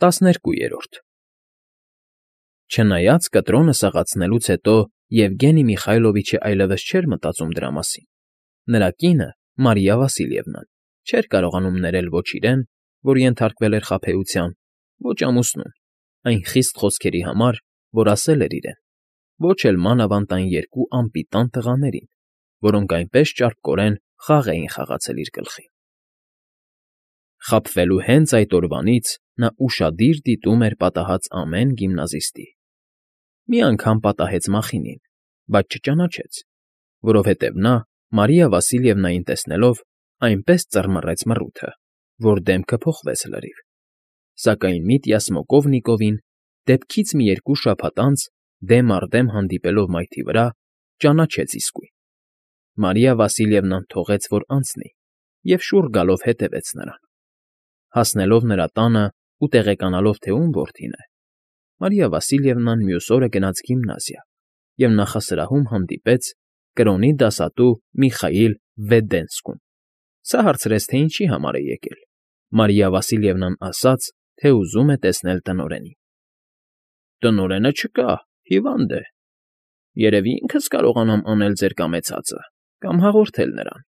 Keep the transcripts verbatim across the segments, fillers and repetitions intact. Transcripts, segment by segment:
ՏԱՍՆԵՐԿՈՒԵՐՈՐԴ Չնայած կտրոնը սաղացնելուց հետո Եվգենի Միխայլովիչն այլևս չէր մտածում դրա մասին, նրա կինը՝ Մարիա Վասիլևնան, չէր կարողանում ներել ոչ իրեն, որ ենթարկվել էր խաբեության, ոչ ամուսնուն, այն խիստ խոսքերի համար, որ ասել էր իրեն, ոչ էլ մանավանդ այն երկու անպիտան տղաներին, որոնք այնպես ճարպկորեն խաղ էին խաղացել իր գլխին։ Խաբվելու հենց այդ օրվանից նա ուշադիր դիտում էր պատահած ամեն գիմնազիստի։ Մի անգամ պատահեց Մախինին, բայց չճանաչեց, որովհետև նա, Մարիա Վասիլևնային տեսնելով, այնպես ծռմռեց մռութը, որ դեմքը փոխվեց լրիվ, սակայն Միտիա Սմոկովնիկովին, դեպքից մի երկու շաբաթ անց դեմ առ դեմ հանդիպելով մայթի վրա, ճանաչեց իսկույն։ Մարիա Վասիլևնան թողեց, որ անցնի, և շուռ գալով հետևեց նրան։ Հասնելով նրա տանը ու տեղեկանալով, թե ում որդին է, Մարիա Վասիլևնան մյուս օրը գնաց գիմնազիա և նախասրահում հանդիպեց կրոնի դասատու Միխայիլ Վեդենսկուն։ Սա հարցրեց, թե ինչի համար է եկել։ Մարիա Վասիլևնան ասաց, թե ուզում է տեսնել տնօրենին։ ֊ Տնօրենը չկա, հիվանդ է, երևի ինքս կարողանամ անել ձեր կամեցածը կամ հաղորդել նրան։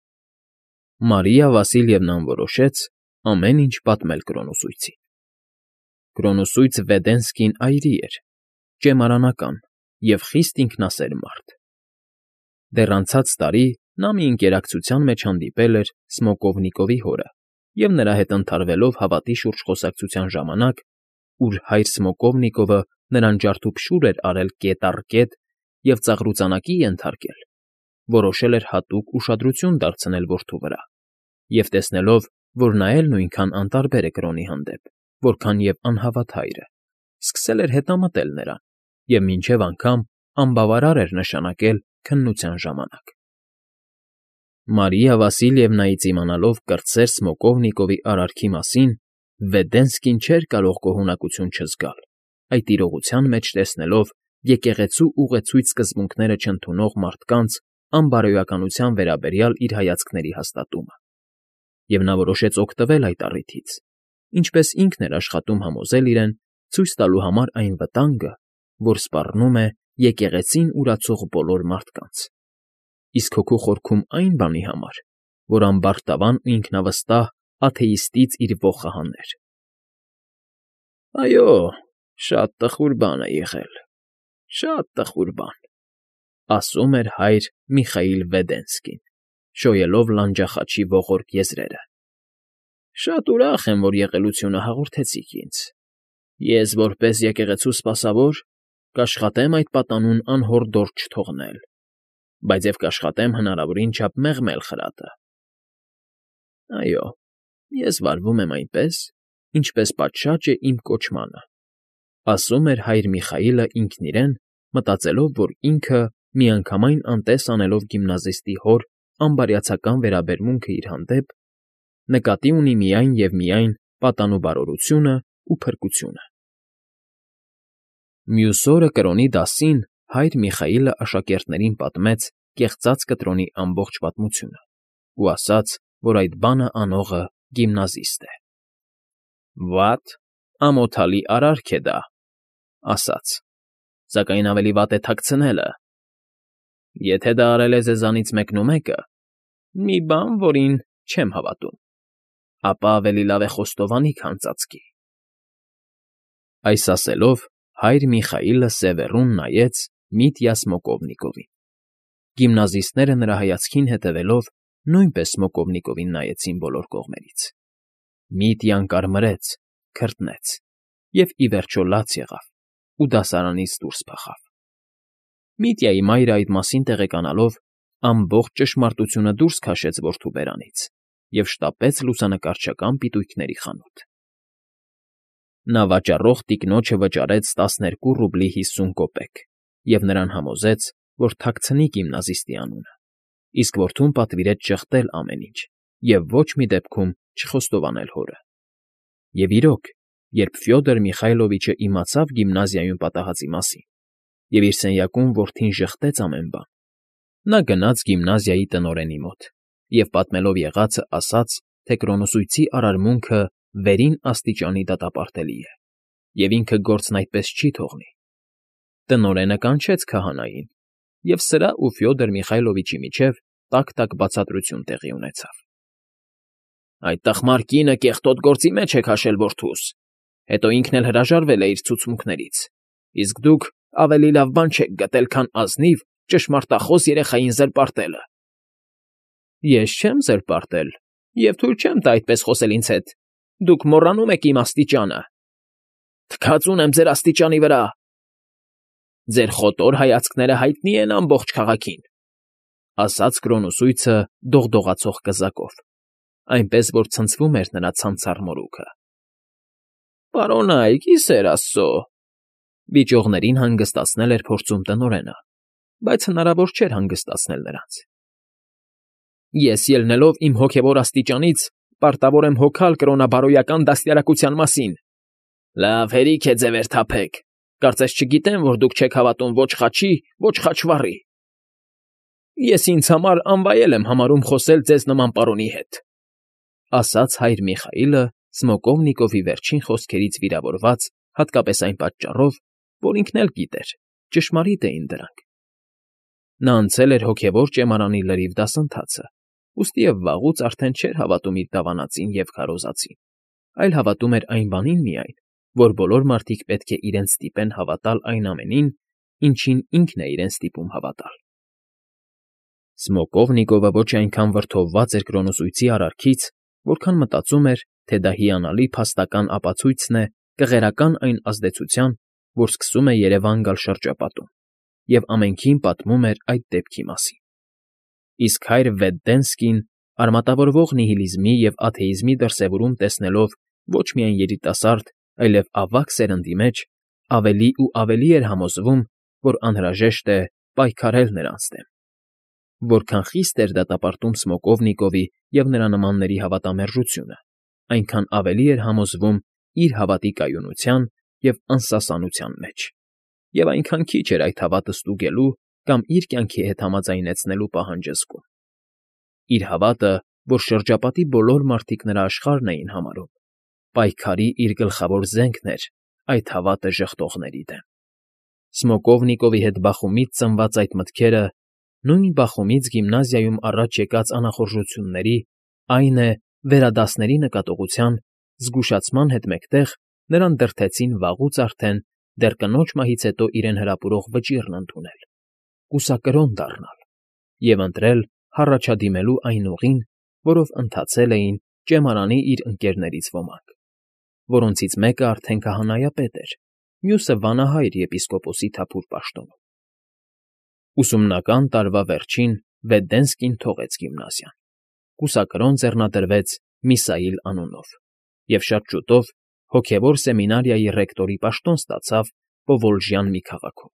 Մարիա Վասիլևնան որոշեց ամեն ինչ պատմել կրոնուսույցին։ Կրոնուսույց Վեդենսկին այրի էր, ճեմարանական և խիստ ինքնասեր մարդ։ Դեռ անցած տարի նա մի ընկերակցության մեջ հանդիպել էր Սմոկովնիկովի հորը և նրա հետ ընդհարվելով հավատի շուրջ խոսակցության ժամանակ, ուր հայր Սմոկովնիկովը նրան ջարդուփշուր էր արել կետ առ կետ և ծաղրուծանակի ենթարկել, որոշել էր հատուկ ուշադրություն դարձնել որդու վրա և, տեսնելով, որ նա էլ նույնքան անտարբեր է կրոնի հանդեպ, որքան և անհավատ հայրը, սկսել էր հետամտել նրան և մինչև անգամ անբավարար էր նշանակել քննության ժամանակ։ Մարիա Վասիլևնայից իմանալով կրտսեր Սմոկովնիկովի արարքի մասին, Վեդենսկին չէր կարող գոհունակություն չզգալ, այդ իրողության մեջ տեսնելով եկեղեցու ուղեցույց սկզբունքները չընդունող մարդկանց անբարոյականության վերաբերյալ իր հայացքների հաստատումը, և նա որոշեց օգտվել այդ առիթից, ինչպես ինքն էր աշխատում համոզել իրեն, ցույց տալու համար այն վտանգը, որ սպառնում է եկեղեցին ուրացող բոլոր մարդկանց, իսկ հոգու խորքում այն բանի համար, որ ամբարտավան ու ինքնավստահ աթեիստից իր ոխը հաներ։ ֊ Այո, շատ տխուր բան է եղել, շատ տխուր բան, ֊ ասում էր հայր Միխայիլ Վեդենսկին, շոյելով լանջախաչի ողորկ եզրերը։ ֊ Շատ ուրախ եմ, որ եղելությունը հաղորդեցիք ինձ։ Ես, որպես եկեղեցու սպասավոր, կաշխատեմ այդ պատանուն անհորդորդ չթողնել, բայց և կաշխատեմ հնարավորին չափ մեղմել խրատը։ Այո, ես վարվում եմ այնպես, ինչպես պատշաճ է իմ կոչմանը, ֊ ասում էր հայր Միխայիլը ինքն իրեն, մտածելով, որ ինքը, միանգամայն անտես անելով գիմնազիստի հոր անբարյացակամ վերաբերմունքը իր հանդեպ, նկատի ունի միայն և միայն պատանու բարօրությունն ու փրկությունը։ Մյուս օրը կրոնի դասին հայր Միխայիլը աշակերտներին պատմեց կեղծած կտրոնի ամբողջ պատմությունն ու ասաց, որ այդ բանը անողը գիմնազիստ է։ ֊ Վատ, ամոթալի արարք է դա, ֊ ասաց, ֊ սակայն ավելի վատ է թաքցնելը։ Եթե դա արել է ձեզանից մեկնումեկը, մի բան, որին չեմ հավատում, ապա ավելի լավ է խոստովանի, քան ծածկի։ Այս ասելով հայր Միխայիլը սևեռուն նայեց Միտիա Սմոկովնիկովին։ Գիմնազիստները նրա հայացքին հետևելով նույնպես Սմոկովնիկովին նայեցին բոլոր կողմերից։ Միտիան կարմրեց, քրտնեց և, ի վերջո, լաց եղավ ու դասարանից դուրս փախավ։ Միտիայի մայրը այդ մասին տեղեկանալով, ամբողջ ճշմարտությունը դուրս քաշեց որդու բերանից և շտապեց լուսանկարչական պիտույքների խանութ։ Նա վաճառող տիկնոջը վճարեց տասներկու ռուբլի հիսուն կոպեկ և նրան համոզեց, որ թաքցնի գիմնազիստի անունը, իսկ որդուն պատվիրեց ժխտել ամեն ինչ և ոչ մի դեպքում չխոստովանել հորը։ Եվ, իրոք, երբ Ֆյոդոր Միխայլովիչը իմացավ գիմնազիայում պատահածի մասին և իր սենյակում որդին ժխտեց ամեն բան, նա գնաց գիմնազիայի տնօրենի մոտ և, պատմելով եղածը, ասաց, թե կրոնուսույցի արարմունքը վերին աստիճանի դատապարտելի է և ինքը գործն այդպես չի թողնի։ Տնօրենը կանչեց քահանային, և սրա ու Ֆյոդոր Միխայլովիչի միջև տաք֊տաք բացատրություն տեղի ունեցավ։ ֊ Այդ տխմար կինը կեղտոտ գործի մեջ է քաշել որդուս, հետո ինքն էլ հրաժարվել է իր ցուցմունքներից, իսկ դուք ավելի լավ բան չեք գտել, քան ազնիվ, ճշմարտախոս երեխային զրպարտելը։ ֊ Ես չեմ զրպարտել և թույլ չեմ տա այդպես խոսել ինձ հետ, դուք մոռանում եք իմ աստիճանը։ ֊ Թքած ունեմ ձեր աստիճանի վրա։ ֊ Ձեր խոտոր հայացքները հայտնի են ամբողջ քաղաքին,֊ ասաց կրոնուսույցը դողդողացող կզակով, այնպես որ ցնցվում էր նրա ցանցառ մորուքը։ ֊ Պարոնա՛յք, ի սեր աստծո,֊ վիճողներին հանգստացնել էր փորձում տնօրենը, բայց հնարավոր չէր հանգստացնել նրանց։ ֊ Ես ելնելով իմ հոգևոր աստիճանից պարտավոր եմ հոգալ կրոնաբարոյական դաստիարակության մասին։ ֊ Լավ, հերիք է ձևեր թափեք, կարծես չգիտեմ, որ դուք չեք հավատում ոչ խաչի, ոչ խաչվառի։ ֊ Ես ինձ համար անվայել եմ համարում խոսել ձեզ նման պարոնի հետ,֊ ասաց հայր Միխայիլը Սմոկովնիկովի վերջին խոսքերից վիրավորված հատկապես այն պատճառով, որ ինքն էլ գիտեր, ճշմարիտ էին դրանք։ Նա անցել էր հոգևոր ճեմարանի լրիվ դասընթացը, ուստիև վաղուց արդեն չէր հավատում իր դավանածին և քարոզածին, այլ հավատում էր այն բանին միայն, որ բոլոր մարդիկ պետք է իրեն ստիպեն հավատալ այն ամենին, ինչին ինքն է իրեն ստիպում հավատալ։ Սմոկովնիկովը ոչ այնքան վրդովված էր կրոնուսույցի արարքից, որքան մտածում էր, թե դա հիանալի փաստական ապացույցն է կղերական այն ազդեցության, որ սկսում է երևան գալ շրջապատում, և ամենքին պատմում էր այդ դեպքի մասին։ Իսկ հայր Վեդդենսկին, արմատավորվող նիհիլիզմի և աթեիզմի դրսևորում տեսնելով ոչ միայն երիտասարդ, այլև ավագ սերնդի մեջ, ավելի ու ավելի էր համոզվում, որ անհրաժեշտ է պայքարել նրանց դեմ։ Որքան խիստ էր դատապարտում Սմոկովնիկովի և նրա նմանների հավատամերժությունը, այնքան ավելի էր համոզվում իր հավատի կայունության և անսասանության մեջ, և այնքան քիչ էր այդ հավատը ստուգելու կամ իր կյանքի հետ համաձայնեցնելու պահանջը զգում։ Իր հավատը, որ շրջապատի բոլոր մարդիկ նրա աշխարհն էին համարում, պայքարի իր գլխավոր զենքն էր այդ հավատը ժխտողների դեմ։ Սմոկովնիկովի հետ բախումից ծնված այդ մտքերը, նույն բախումից գիմնազիայում առաջ եկած անախորժությունների, այն է, վերադասների նկատողության, զգուշացման հետ մեկտեղ նրան դրդեցին վաղուց արդեն, դեռ կնոջ մահից հետո իրեն հրապուրող վճիռն ընդունել, կուսակրոն դառնալ և ընտրել հառաջադիմելու այն ուղին, որով ընթացել էին ճեմարանի իր ընկերներից ոմանք, որոնցից մեկը արդեն քահանայապետ էր, մյուսը վանահայր եպիսկոպոսի թափուր պաշտոնում։ Ուսումնական տարվա վերջին Վեդդենսկին թողեց գիմնազիան, կուսակրոն ձեռնադրվեց Միսայիլ անունով և շատ շուտով հոգևոր սեմինարիայի ռեկտորի պաշտոն ստացավ Պովոլժյան մի քաղաքում։